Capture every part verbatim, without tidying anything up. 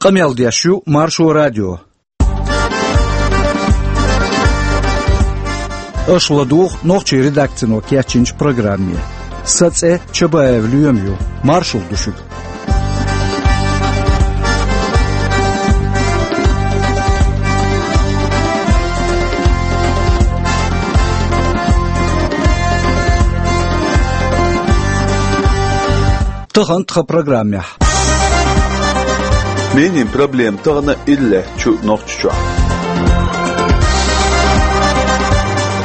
Къамел деш ю Маршо радио. Аша ладугӀу нохчийн редакцино кечйинчу программе. Сан цӀе Чабаев Лоьма ю. Маршалла ду шуьга. Тахана тхан программехь. Минийн проблема тахана иллаьттачу Нохчийчохь.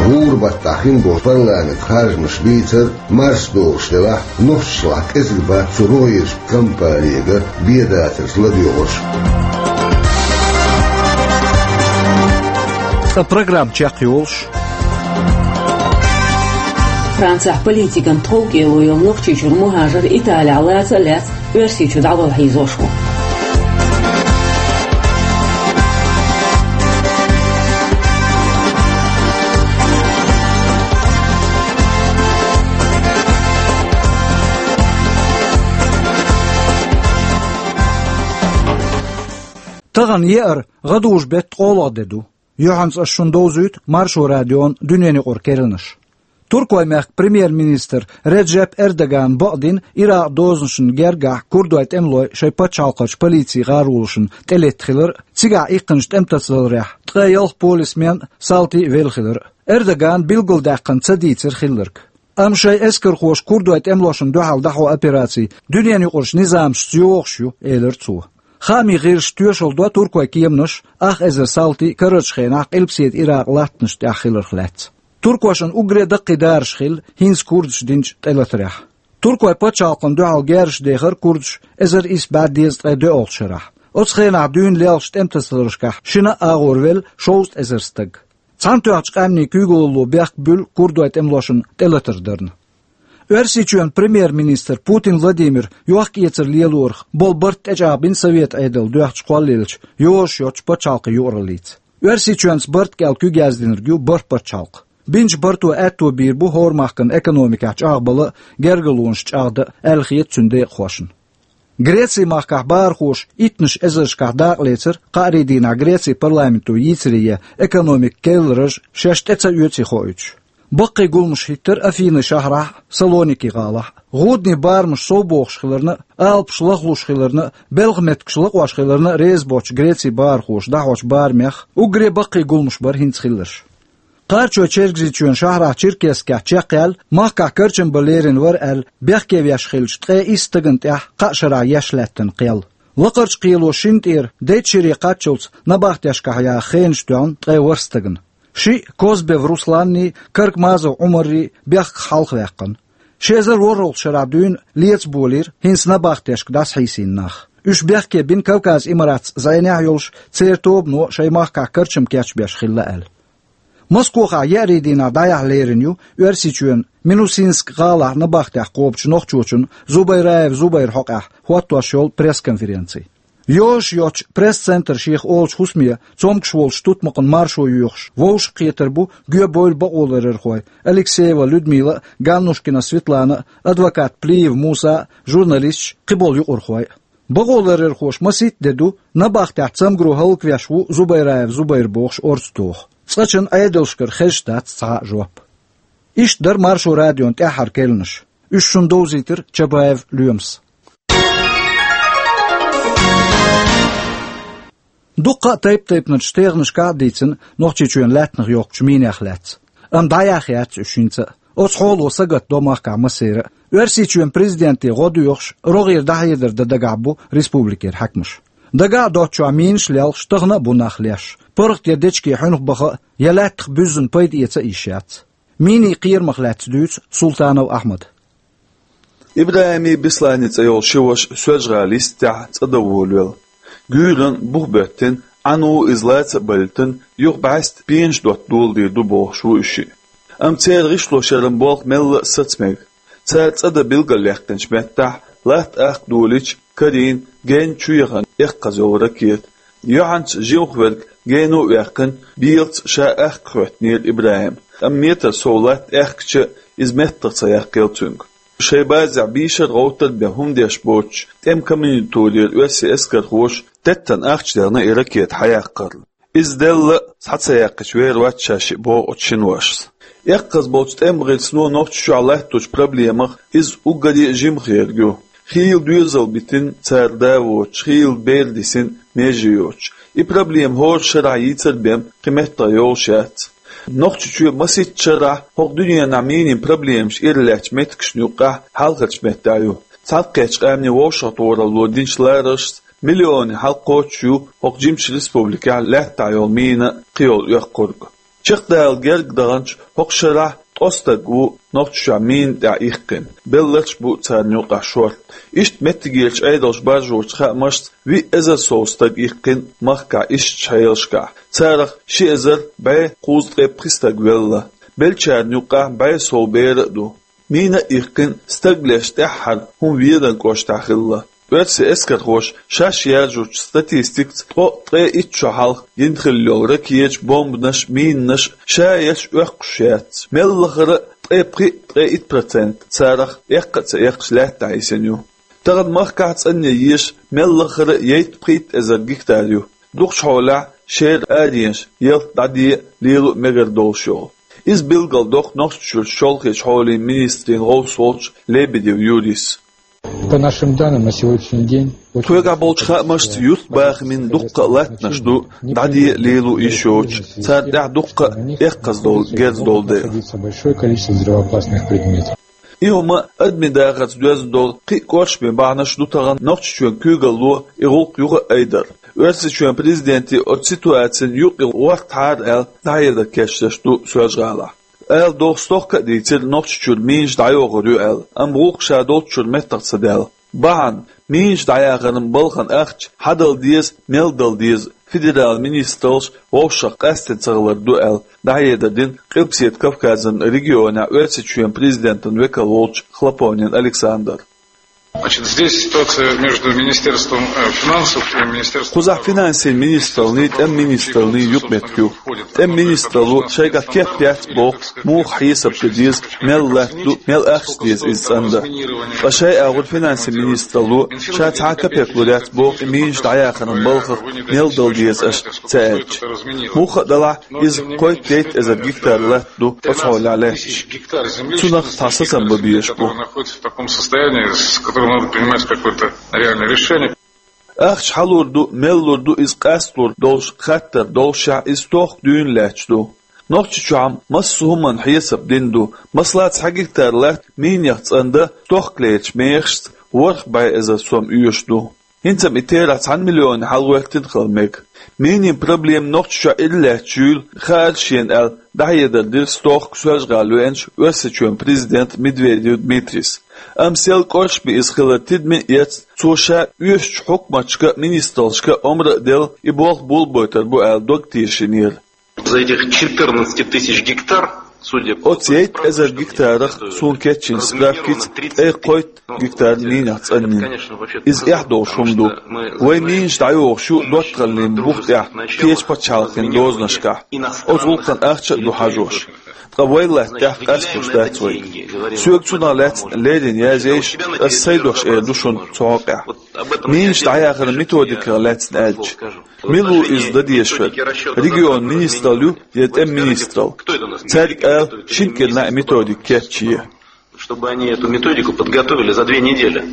ГӀуран баттахь хин болу парламент харжамаш бийцар марс догӀуш делахь, нохчашлахь кӀезиг бац цу рогӀерчу кампанега бен дацарца ладоьгӀурш. Ткъа программа чекхйолуш. Францехь политикан тховкӀело йолу Нохчийчуьра мухӀажар Италехь лаца а лаьцна, Оьрсийчу дӀавала хьийзош ву. Тахана еара гӀадужу беттан ткъолгӀа де ду. Юьхьанца ас шуна довзуьйту Маршо радион дуьненаюкъара керланаш. Туркойн мехкан премьер-министр Реджеп Эрдогана бакъдина Иракъан дозанашна гергахь курдойн тӀемалой шайн пачхьалкхарчу полицин гӀаролашна тӀелетта хилар а, цигахь иккхинчу тӀематасадаларехь ткъе ялх полисмен а, салти а велла хилар а. Эрдогана билгалдаьккхина ца дийцира хилларг. Амма шайн эскархоша курдойн тӀемалошна дуьхьал дӀахьо операци дуьненаюкъарчу низамашца йогӀуш ю, элира цо. Хаамийн гӀирсаша тоьшалла до туркойн кеманаша ах эзар салти карарчу хенахь Къилбаседа Иракъан латтанашна тӀехь хиларх лаьцна. Туркошна уггаре даккхий дараш хилла хӀинца курдаша динчу тӀелатарехь. Туркойн пачхьалкхана дуьхьал герзаш дехира курдаша эзар исс бӀе дезткъе доьалгӀачу шарахь. Оцу хенахь дуьйна леллачу тӀематасадаларшкахь шина а агӀор велла шовзткъа эзар стаг. Цхьаьнатоьхначу къаьмнийн куьйгалло бехк буьллу курдойн тӀемалошна тӀелатар дарна. Оьрсийчоьнан премьер-министр Путин Владимира йохк-эцар лелорах болу барт тӀечӀагӀбина Совет Ӏедал доьхначу кхоллаеллачу йозуш йоцчу пачхьалкхан юкъараллица. Оьрсийчоьнца барт кӀел куьг яздинарг ю бархӀ пачхьалкх. Бинчу барто аьтто бийр бу хӀора махкана экономикехь чӀагӀбала а, гергарлонаш чӀагӀдан а, аьлла хета цуьнан декъахошна. Грецин махкахь бахархоша иттанаш эзаршкахь дакъалецира кхаарин дийнахь Грецин парламенто йийцаре ян экономикан керлараш шаьш тӀе ца оьций хоуьйтуш. Баккхий гуламаш хӀиттира Афинин шахьарахь а, Салоники-гӀалахь а. ГӀудний барамаш совбохуш хиларна а, алапаш лахлуш хиларна а, белхан меттигаш лакъош хиларна а реза боцчу Грецин бахархоша дӀахьочу барамех уггаре баккхий гуламаш бара хӀинца хилларш. Кхарачой-Чергазийчоьнан шахьарахь Черкесскехь чекхъяьлла, махкахь карчам бан лерина вара аьлла, бехке веш хиллачу ткъе исс стагана тӀехь кхаа шарахь еш лаьттина кхел. Лакхарчу кхело шина тӀера дейтта шаре кхаччалц набахтешкахь яха хенаш тоьхна ткъе ворхӀ стагана. Шиъ Козбев Русланний, Каркмазов Ӏумаррий бехках хьалхаваьккхина. Ши эзар ворхӀалгӀачу шарахь дуьйна леца болийра хӀинца набахтешка дӀасахьийсийна нах. Уьш бехке бина Кавказ Имаратца зӀенехь йолуш, церан тобано шайн махкахь карчам кечбеш хилла аьлла. Москохахь еарин дийнахь дӀаяхьа лерина ю Оьрсийчоьнан Минусинск гӀалахь набахтехь кхобучу нохчочун Зубайраев Зубайран хьокъехь хӀоттош йолу пресс-конференци. Йозуш йоцчу пресс-центр шех олучу хӀусаме цомгуш волчу тутмакхана маршо йоьхуш вовшахкхетар бу гоьбевлла бакъоларъярхой Алексеева Людмила а, Ганнушкина Светлана а, адвокат Плиев Муса а, журналисташ а, кхиболу юкъархой а. Бакъоларъярхоша масийтта де ду, набахтехь цамгаро хӀаллаквеш ву Зубайраев Зубайр бохуш орца тоху. Цкъачунна Ӏедалшкара хезаш дац цхьа а жоп. Иштта дара Маршо радион тӀаьххьара керланаш. Уьш шуна довзийтира Чабаев Лоьмас. Дуккха а тайп-тайпанчу тӀегӀанашкахь а дийцина Нохчийчоьнан лаьттанах йоккхучу минех лаьцна. Амма дӀаяхьа яц уьш хӀинца а. Оцу хьоло сагатдо махкахь массеран а. Оьрсийчоьнан президенте гӀо доьхуш, рогӀера дӀахьедар дан дагахь бу республикера хьаькамаш. Дагахь а доцчохь минаш а лелхаш, тахана а бу нах леш. ПаргӀат я дечке хьуьнах баха а, я лаьттах буьззина пайда эца а йиш яц. Минийн кхерамах лаьцна дуьйцу Султанов Ахьмада. ИбрахӀимий Бесланий цӀе йолу ши ваша Соьлжа-ГӀалин йистехь цӀа дан волавелла. Гуьйранна бух боьттина, Ӏану иза лаца а байтина, юха бӀаьста пенаш дотта доладийр ду бохуш ву уьш шиъ. Амма церан гӀишлошъяран болх мелла а саца мега. Цара цӀа дан билгалъяьккхинчу меттехь, латта ахка долийча, карийна, генна чу яхана эккхаза йолу ракета. Юьхьанца жимах верг гена а ваьккхина, белаца ша ахка хӀоьттинера ИбрахӀима, амма метр сов латта аьхкича а, иза меттах ца яккхийла цуьнга. Шайн базехь бийшар а гӀовттар а бен хӀума деш боцуш, тӀеман комендатурера оьрсийн эскархоша теттана ахча дехна и ракета хьаяккхарна. Иза делла а, схьа ца яьккхича вер вац ша шиъ, боху оцу шиношца. Эккхаза болчу тӀеман гӀирсано Нохчийчохь латточу проблемах иза уггаре а жимха ерг ю. Хийла доьзал битина цара да воцуш, хийла бер дисина меже йоцуш. И проблема хӀора шарахь йийцар а бен кхин меттах йолуш яц. Нохчийчоь масийтта шарахь хӀокху дуьненахь минийн проблемаш иралаьцначу меттигашна юккъехь хьалхарчу меттехь ю. Цхьаьнакхеттачу къаьмнийн вовшахтохаралло динчу лараршца, миллионийн хьалакхочуш ю хӀокху жимачу республикехь лаьттахь йолу мина а, кхийолу оьхкург а. Чекхдала герга даханчу хӀокху шарахь ткъа стаг ву Нохчийчохь мина тӀехь иккхина, белларш а бу царна юкъахь шорта. Иштта меттигерчу Ӏедалша баржочу хаамашца, виъ эзар сов стаг иккхина махкахь ишттачу хьелашкахь. Царах ши эзар бӀе кхузткъе пхи стаг велла. Беллачарна юккъехь бӀе сов бер а ду. Мина а иккхина, стаг леш тӀаьххьара хӀума Веданан кӀоштахь хилла. Оьрсийн эскархоша шаьш яржучу статистикаца, ткъе итт шо хьалха йина хилла йолу ракеташ, бомбанаш, минанаш ша ерш оьккхуш яц. Мел лахара а ткъе пхи, ткъе итт процент царах эккха а ца эккхаш лаьттахь йисина ю. Тахана махкахь цӀанъян езаш мел лахара а ейттан-пхийтта эзар гектар ю. Дукхачу хьолехь шера аренаш, ялта дӀаде а, лело а мегар долуш йолу. Иза билгалдоккху Нохчийчуьрчу чолхечу хьолийн министрийн гӀовс волчу Лебедев Юрийс. По нашим данным, на сегодняшний день очень... Тхоьгахь болчу хаамашца, юьртбахамийн дуккха а латтанаш ду, дӀаде а, лело а йиш йоцуш, царна тӀехь дуккха а эккхаза долу герз долу дела. Находится большое количество взрывоопасных предметов. И хӀума адамийн дахарца доьзна долу кхин а кӀоршаме бахьанаш ду тахана Нохчийчоьнан куьйгалло и гӀуллакх юха а айдар. Оьрсийчоьнан президенте оцу ситуацина юкъа гӀортахьара аьлла, дӀахьедар кечдеш ду Соьлжа-ГӀалахь. Ала догӀу стохка а дийцира Нохчийчуьра минаш дӀайохур ю аьлла, амма гӀуллакх ша долччуьра меттах ца даьлла. Бахьана, минаш дӀаяхаран балхана ахча хьан дала деза, мел дала деза, федералан министраллаш вовшах къаьсттина ца хилар ду аьлла, дӀахьедар дина Къилбаседа Кавказан регионехь Оьрсийчоьнан президентан векал волчу Хлопонин Александра. Значит, здесь ситуация между Министерством, э, финансов и Министерством... Кхузахь финансийн министраллий, тӀеман министраллий юкъаметтиг ю. ТӀеман министралло шайгахь кеп яц боху, муха хьесап дан деза, мел латта ду, мел ахча деза иза цӀандан. Ткъа шайн агӀор финансийн министралло ша цхьа а капек лур яц боху и минаш дӀаяхаран балхах мел дала деза аша ца аьлча. Муха а далахь, иза кхойтта-дейтта эзар гектар латта ду оцу хьолехь лаьтташ. Цунах цхьа сацам бан безаш бу. Находится в таком состоянии, с которым надо принимать какое-то реальное решение. Ахча хьан лур ду, мел лур ду иза къасталур долуш хаттар доллушехь, иза стохка дуьйна лаьтташ ду. Нохчийчохь-м массо а хӀуманна хьесап дина ду. Масала, цхьа гектар латта минех цӀандан стохкалерчу мехашца ворхӀ бӀе эзар сом оьшуш ду. ХӀинца-м и терахь цхьана миллионе хьалгӀоьттина хила мега. Минийн проблема Нохчийчохь иралаьцча юйла хаар шена аьлла, дӀахьедар дира стохка Соьлжа-ГӀала веанчу Оьрсийчоьнан президента Медведев Дмитрийс. Амма сел кӀоршаме иза хилар тидаме а эцна, цо ша оьшучу хьукматашка а, министраллашка а омра а делла, и болх болабойтур бу аьлла дог тешийнера. За этих четырнадцать тысяч гектар, судя по... Оцу ейтта эзар гектарах, суна кечйинчу справкица, ткъе кхойтта гектар минех цӀанйина. Иза эхь долуш хӀума ду. Вайн минаш дӀайохуш ю доттагӀаллин бух тӀехь, кхечу пачхьалкхийн дозанашкахь. Оцу гӀуллакхна ахча а ду хьажош. Ткъа вай латтачохь къасталуш дац вайга. Соьга цунах лаьцна леррина язъе йиш, ас сайн дош эр ду шуна цу хьокъехь. Минаш дӀаяхаран методиках лаьцна аьлча, мила ву иза дан дезаш верг? Регионан министралла ю я тӀеман министралла? Цаьрга ала, шина кӀирнахь и методика кечъе. Чтобы они эту методику подготовили за две недели.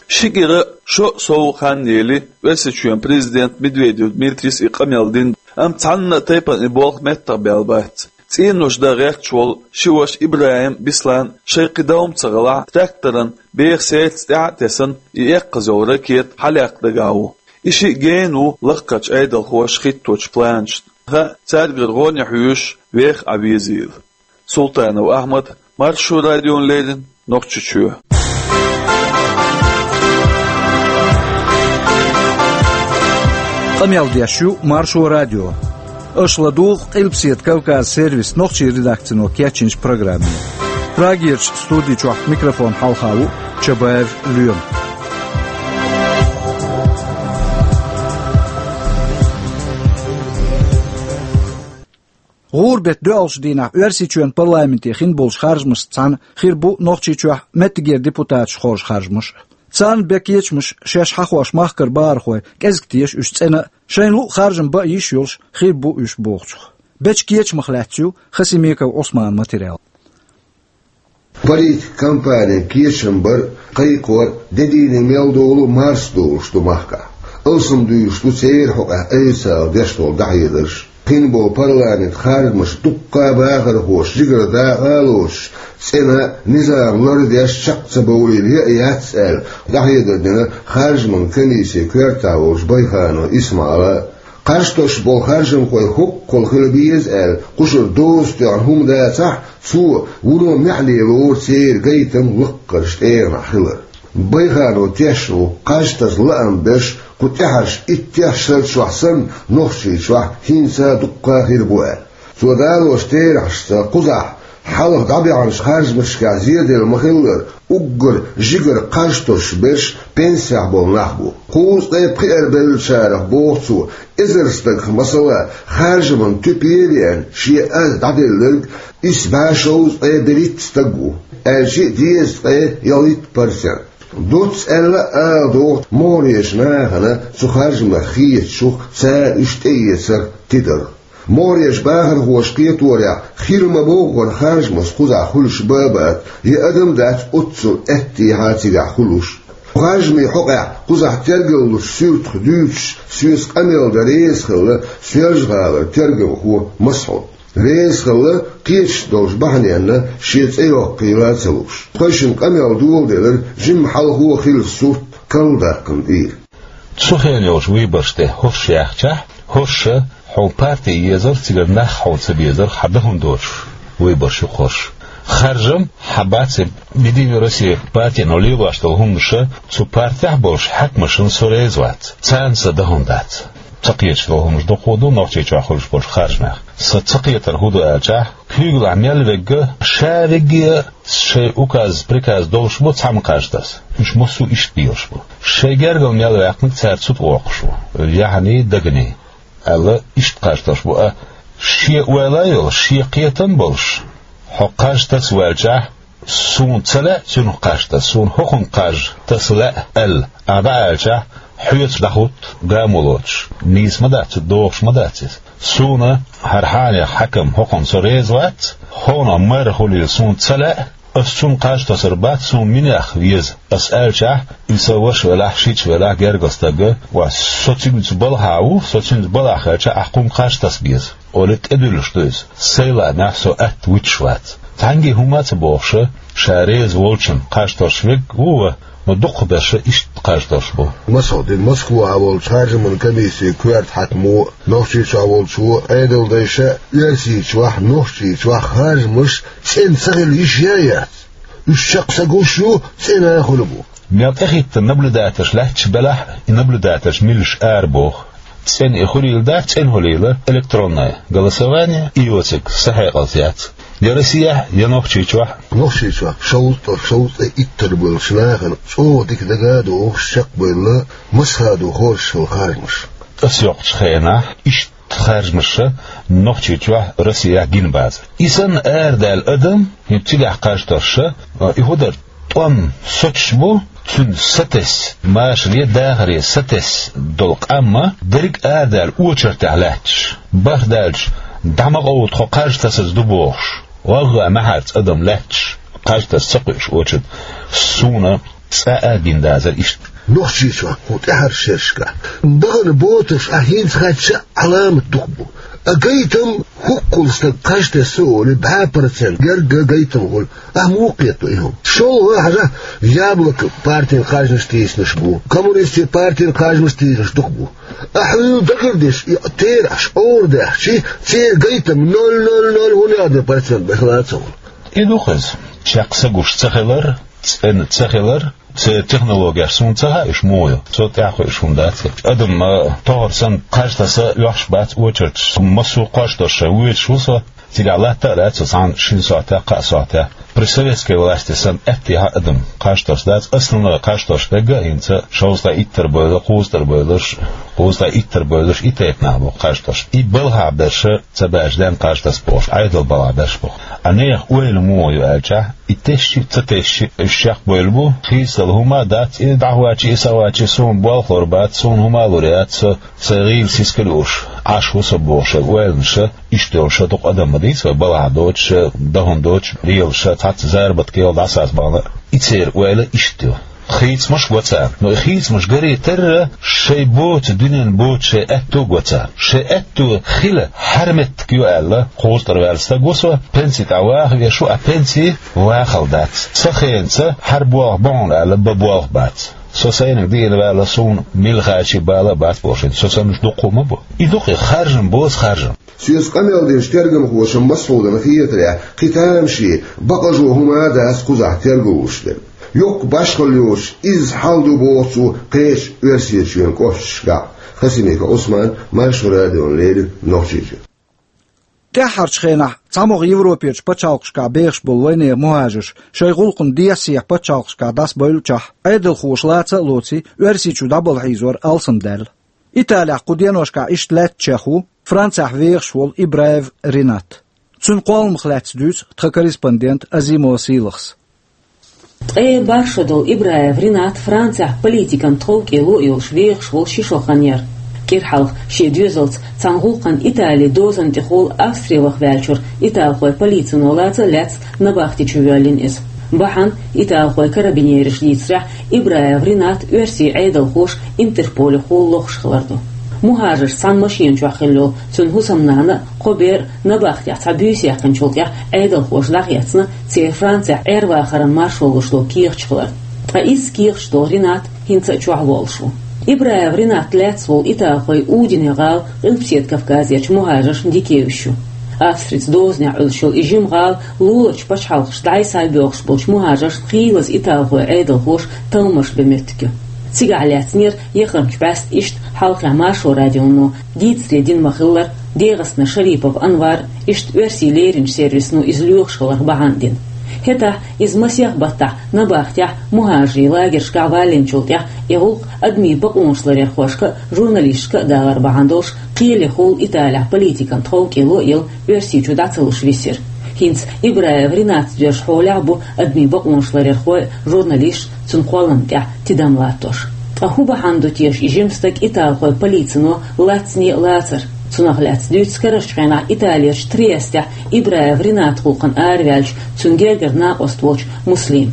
Ши кӀира шо сов хан ели, Оьрсийчоьнан президента Медведев Дмитрийс и къамел дина, амма цхьанна а тайпана и болх меттах баьлла бац. ЦӀенош дан гӀерташ волу ши ваша ИбрахӀим, Бислан шайн кхин дов-м ца хилахь, тракторан беха сердца тӀаьхьа а тесна, и эккхаза йолу ракета хьалаяккха дагахь ву. И шиъ гена ву лакхарчу Ӏедалхоша хӀитточу планашна. Хаа, цаьргара гӀо а хьоьжуш, веха Ӏан везийла. Султанов Ахьмад, Маршо радиона леррина, Нохчийчоь. Къамел деш ю Маршо радио. Аша ладугӀу Къилбаседа Кавказ сервисан нохчийн редакцино кечйинчу программе. Прагерчу студи чохь микрофон хьалха ву Чабаев Лоьма. ГӀуран беттан доьалгӀачу дийнахь Оьрсийчоьнан парламенте хинна болчу харжамашца цхьаьна хир бу Нохчийчохь меттигера депутаташ хоржу харжамаш. Царна бен кечамаш шаьш хьахош махкара бахархой кӀезиг теша уьш цӀена а, шайна луъу харжам бан йиш йолуш хир бу уьш бохучух. Бечу кечамах лаьцна ю Хасимиков Ӏусманан материал. Политикан кампанин кечам бар а, кхайкхор а де дийне мел долу марс долуш ду махкахь. Алсам дуьйцуш ду церан хьокъехь официалан деш долу дӀахьедарш. Кхин болу парламент харжамаш дуккха а бахархоша жигара дакъа а лоцуш, цӀена а, низам лардеш чекх ца бовлийла яа яц аьлла, дӀахьедар дина харжаман комиссин коьртехь волчу Байханов Исмаила а. Кхаж тосуш болу харжамхой хӀоккхул хила беза аьлла, кхушара доза тоьхна хӀума дацахь а, цо вуно маьхьале лору церан гайтам лаккхарчу тӀегӀанехь хилар. Байханов тешна ву, кхаж таса лаам берш кху тӀаьхьарчу иттех шарчохь санна, Нохчийчохь хӀинца а дуккха а хир бу аьлла. Цо далочу терахьашца, кхузахь хьалха дӀабаьхьначу харжамашкахь зеделла ма-хиллара, уггар жигара кхаж тосуш берш пенсехь болу нах бу. Кхузткъе пхиарабеллачарах, боху цо, эзар стагах, масала, харжаман туьпе а веана, шен аз дӀаделларг исс бӀе шовзткъе берхӀитта стаг ву, аьлча а дезткъе ялхитта процент. Доцца аьлла а ала догӀу могӀарерчу нахана цу харжамах хетачух, цара уьш тӀеэцарх тидарх. МогӀарерчу бахархоша кхеторехь, хила ма-боххара харжамаш кхузахь хуьлуш бан а бац, я адам а дац оццул аьттехьа цигахь хуьлуш. Харжамийн хьокъехь кхузахь тергаллучу суьртах дуьйцуш, соьца къамел дан реза хилла Соьлжа-ГӀалара тергамхо Масхьуд. Реза хилла, кхеташ долчу бахьаненна шен цӀе йоккхийла а ца лууш. Тхойшинна къамел доладелира жимма хьалхо а хилла сурт карладаккхарна тӀера. Цу хенахь йолчу выбораш тӀе хӀорш яьхчахь, хӀорш хьо парти езара, цигара нах хьо ца безара, хьан дан хӀун доцуш выбораш ю-кх хӀорш. Харжам хьан бац, Единая Россия партино лелош долу хӀуманаш цу партехь болуш хьаькамашна со реза вац, царна сан дан хӀун дац. Ца кхеташ долу хӀуманаш дукха ду Нохчийчохь хуьлуш болчу харжамех. Сан ца кхетар хӀун ду аьлчахь, куьйгалахь мел верг а, ша верг а шайн указ, приказ долуш бу цхьамма кхаж таса. Уьш массо а иштта белаш бу. Шайн гергара мел ваьккхинарг цара цу тӀе воккхуш ву, яхьаний, даганий, аьлла, иштта кхаж тосуш бу. А шен ойла а йолуш, шен кхетам а болуш, хьо кхаж таса ваьлчахь, суна ца лаьа цуьнах кхаж таса, суна хӀокхунна кхаж таса лаьа аьлла, ахьа дӀааьлчахь, хьоьца дӀахӀутту гамо лоцуш, нийса ма дац, догӀуш ма дац иза. Суна хӀара хьенехан хьаькам хӀокхунна со реза вац, хӀокхунах мэр хуьлийла суна ца лаьа, ас цунна кхаж тосур бац, суна минех веза ас аьлчахь, и сан ваша велахь, шича велахь, гергара стаг а, ва, со цуьнца балхахь ву, со цуьнца балхахь хилча, ахь кхунна кхаж таса беза, олий, тӀедуьллуш ду иза. Сайн лаамехь со атта вуьтуш вац. Цхьаьнгге хӀума а ца бохуш, ша реза волчунна кхаж тосуш верг а ву ван, но дукхахберш иштта кхаж тосуш бу. Масхьуд, Москвахь волчу харжаман комиссин коьрта хьаькамо а, Нохчийчохь волчо а, Ӏедалдайша а, Оьрсийчохь, Нохчийчохь харжамаш цӀена ца хила йиш яц. Уьш чекх ца гуш ю, цӀена а хуьлу бу. Мел тӀехӀиттина наблюдательш лаьтташ белахь а, и наблюдательш милаш арабоху. ЦӀена и хуьлийла дац, цӀена хуьлийла электронное голосование, и йоцург сан хьекъалца яц. Я Россехь, я Нохчийчохь. Нохчийчохь шовзткъа, шовзткъе иттар болчу нахана чӀогӀа дика дага а догӀуш чекхбевлла, массахьа ду хоржуш хилла харжамаш. Ас йоккхучу хенахь иштта харжамаш Нохчийчохь, Россехь гина бацара. И санна арадаьлла адам, хӀинца цигахь кхаж тосуш, и хӀун дара, тӀом соцуш бу, цуьнан сатесна, машаре, дахаре сатесна долу къам а, дерриг а арадаьлла очередехь лаьтташ. БархӀ даьлча, дӀа ма къовла, тхо кхаж тасаза ду бохуш, гӀаггӀа маьхьарца адам лаьтташ, кхаж таса ца кхуьуш очередь. Суна цкъа а гина дацара иштта. Нохчийчохь кху тӀаьхьарчу шерашкахь бахана ботарш ахь хӀинца хаьттича а Ӏаламат дукха бу. А гайтам, хӀоккхул стаг кхаж тесна олий, бӀе процент герга гайтам хуьлу. Ахь муха кхетадо и хӀума? ШолгӀа хьажахь, Яблоко партин харжамаш тийсинарш бу, Коммунистийн партин харжамаш тийсинарш дукха бу. Ахь хьуна дагардеш и терахьаш Ӏорадаьхча, церан гайтам ноль ноль ноль хӀун яздо процент бен хила а ца хуьлу. И ду-кх иза. Чекх ца гуш ца хилар, цӀена ца хилар, церан технологеш суна ца хаьа, уьш муха ю. Цу тӀехь кхуьуш хӀума дац. Адам, а, тохара санна кхаж таса оьхуш бац очередаш. Массо а кхаж тосуш шайн воьдуш ву со. Цигахь латта а лаьтта со цхьана шина сохьтехь, кхаа сохьтехь. При советской власти санна аьттехьа адам кхаж тосса дац, основной кхаж тосса берг а хӀинца шовзткъе иттара бевлла, кхузткъара бевлларш, кхузткъе иттара бевлларш и тайпа нах бу кхаж тосса. И балхахь берш ца баьча ден кхаж тосса бохуш, Ӏедал балхахь берш бу. А нехан ойла муха ю аьлча, и тешши а, ца тешши а, уьш шех бевлла бу, хийцадала хӀума а дац, и дӀахӀоьттича, и схьахӀоьттича, суна болх лур бац, суна хӀума а лур яц, со сайн гӀийла сискал а юуш, Ӏаш ву со бохуш, ойланаш, иштта йолуш дукха адам ма дийца вай, балхахь доцуш, дахана доцуш, лелаш, цхьацца заработок йолу дӀасаца бахана. И церан ойла иштта ю. Хийцамаш а го царна. Но и хийцамаш гаре терра, шайн боцу, дуьненна боцу шайн аьтто а го царна. Шайн аьтто хила хьаьрметтиг ю аьлла, кхузткъара ваьлла стаг ву со, пенси тӀехь ваха веш ву, а пенси вахалла дац. Сан хенаца хьара болх бу хьуна аьлла, бан болх бац. Со сайниг диъна ваьлла, суна мила хачий бала а бац бохуш, со санна уьш дуккха а ма бу. И ду-кх и харжам, бозу харжам. Соьца къамел динчу тергамхоша массо а хетарехь, кхин тамашийна, бакъажо хӀума а дац кхузахь тергалуш дерг. Йоккха башхалла йоцуш, изза хьал ду боху цо кхечу Оьрсийчоьнан кӀошташкахь. Хасимиков Ӏусман, Маршо радиона леррина, Нохчийчоь. ТӀаьххьарчу хенахь цхьамогӀа Европерчу пачхьалкхашкахь бехаш болу вайнехан мухӀажарш шайн гӀуллакхна дехьа-сехьа пачхьалкхашкахь дӀасабевллачохь, Ӏедалхоша лаца а лоций, Оьрсийчу дӀабала хьийзор алсамдаьлла. Италехь кху деношкахь иштта лаьцначех ву Францехь вехаш волу Ибраев Ринат. Цуьнан кхолламах лаьцна дуьйцу тхан корреспондента Азимова Сийлахьас. Ткъе бархӀ шо долу Ибраев Ринат Францехь политикан тховкӀело а йолуш вехаш волу ши шо хан яра. КӀира хьалха шен доьзалца цхьана гӀуллакхна Итали дозанна тӀехула Австри ваха ваьллачуьра италхойн полицино лаца а лаьцна набахти чу воьллина иза. Бахьана, италхойн карабинераш дийцарехь, Ибраев Ринат оьрсийн Ӏедалхоша Интерполехула лохуш хилар ду. МухӀажаршца цхьана машена чохь хилла йолу цуьнан хӀусамнана а, кхо бер а набахтехь цхьа буьйса яьккхинчул тӀаьхьа Ӏедалхоша дӀахецна, церан Францехь Ӏер-вахаран маршо луш долу кехаташ хиларна. Ткъа изза кехаташ долу Ринат хӀинца а чохь волуш ву. Ибраев Ринат лаьцна волу италхой Удине гӀала Къилбаседа Кавказерчу мухӀажаршна дика евзаш ю. Австрица дозанехь Ӏуьллуш йолу и жима гӀала луларчу пачхьалкхашка дӀасабоьлхуш болчу мухӀажаршна хийлаза италхой Ӏедалхоша талламаш бен меттиг ю. Цигахь лаьцнера яхархочу бӀаьста иштта хьалххе Маршо радионо дийцаре дина ма-хиллара, ДегӀастана Шарипов Анвар иштта оьрсийн леринчу сервисано иза лоьхуш хиларх бахьана дина. ХӀетахь иза масех баттахь набахтехь мухӀажарийн лагершкахь валлинчул тӀаьхьа и гӀуллакх адамийн бакъонаш ларъярхошка а, журналисташка а далар бахьана долуш, кхелехула Италехь политикан тховкӀело а елла, Оьрсийчу дӀа ца луш висира. ХӀинца Ибраев Ринатца доьзначу хьолехь а бу адамийн бакъонаш ларъярхой а, журналисташ а цуьнан кхолламна тӀехь тидам латтош. Ткъа хӀун бахьана ду теша и жима стаг италхойн полицино лацане а лацар? Цунах лаьцна дуьйцу карарчу хенахь Италерчу Триестехь Ибраев Ринатан гӀуллакхана араваьллачу цуьнан гергара накъост волчу Муслима.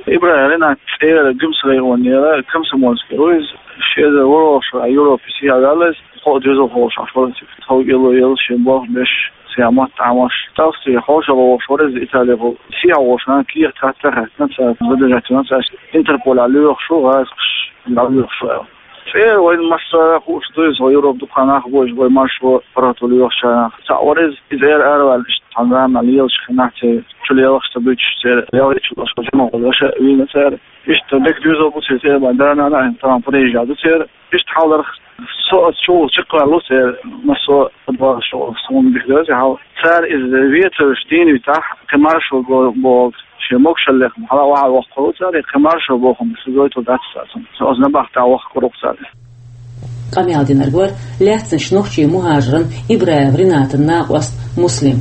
Ибраев Ринат цӀера Гуьмсан районера, Комсомольский ву иза, ши эзар ворхӀалгӀачу шарахь Европе сехьа ваьлла иза, кхо а доьзалхо волуш Ӏаш вара цига. ТховкӀело елла шен болх беш, цхьа мотт Ӏамош, Австри хьошалгӀа вогӀуш вара иза Италехула. Сехьа волчу нахана кехат хатта а хаьттина цара, задержать вина цара, Интерполехь лоьхуш ву, гӀазкхаша дӀалоьхуш ву аьлла. ЦӀера вайна массара а хууш ду иза, вай Европа дукха нах бу иза, вай маршо паргӀато лоьхучарах. Цхьаъ вара иза, иза ара араваьлла, иштта цхьана заманахь лелаш хенахь, церан чу лелаш ца буьтуш, церан лелачу лаша жимахула аша а вийна цара. Иштта дика доьзал бу церан, церан бан да-нана а, тахана Парижехь ду церан. Иштта хьалдарх, со оцу чу волчу чекхваьлла ву церан, массо а тӀебогӀуш, суна дика дара хьал. Цара иза вецарш дийна витахь, кхин маршо бо-, бохург, шен могушаллех хьала охьа воккхур ву цара, кхин маршо бохург, со гойтур дац цара цунна. Со оцу набахтехь вахкур ву цара. Къамел динарг вара лаьцначу нохчийн мухӀажаран Ибраев Ринатан накъост Муслим.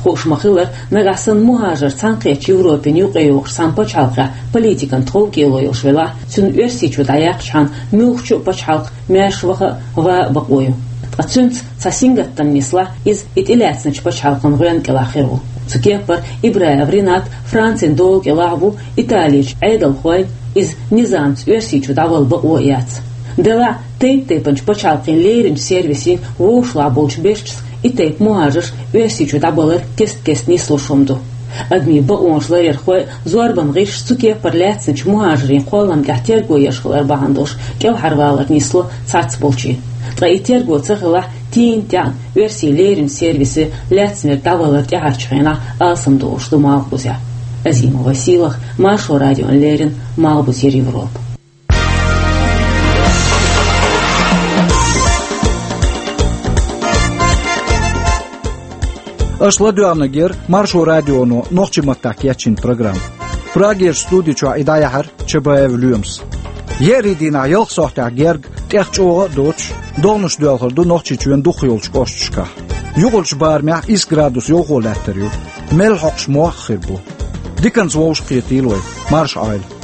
Хууш ма-хиллара, нагахь санна мухӀажар цхьаьнакхеттачу Европина юкъайогӀучу цхьана пачхьалкхехь политикан тховкӀело йолуш велахь, цуьнан Оьрсийчу дӀаяьккхичхьана муьлххачу а пачхьалкх маьрша ваха а, ван а бакъо ю. Ткъа цуьнца цхьа сингаттам нислахь, иза и тӀелаьцначу пачхьалкхан гӀоьнна кӀелахь хир ву. Цу кеппара Ибраев Ринат Францин дола кӀелахь а ву, Италерчу Ӏедалхойн иза низамца Оьрсийчу дӀавала бакъо а яц. Делахь а, тайп-тайпанчу пачхьалкхийн леринчу сервисийн вовшахлахь болчу бешчас и тайпа мухӀажарш Оьрсийчу дӀабалар кест-кеста нислуш хӀума ду. Адамийн бакъонаш ларъярхой а, зорбан гӀирсаша цу кеппара лаьцначу мухӀажарийн кхоллам тӀехь терго еш хилар бахьана долуш кӀелхьарвалар нисло цхьацболчийн. Ткъа и терго ца хилахь, тийна тӀаьхьа оьрсийн леринчу сервисан лаьцнарг дӀавалар тӀаьхьарчу хенахь алсамдолуш ду Малхбузехь. Азимова Сийлахь, Маршо радиона леррина, Малхбузера Европа. Аша ладоьгӀнарг яра Маршо радионо нохчийн маттахь кечйина программа. Прагерчу студи чохь и дӀаяьхьира Чабаев Лоьмас. Еарин дийнахь ялх сохьтехь герга, тӀех чӀогӀа а доцуш, догӀанаш доьлхур ду Нохчийчоьнан дукхах йолчу кӀошташкахь. Юкъарчу барамехь исс градус йовхо лаьттар ю. Мел хьокхуш мох а хир бу. Диканца вовшахкхетийла вай. Марша Ӏойла.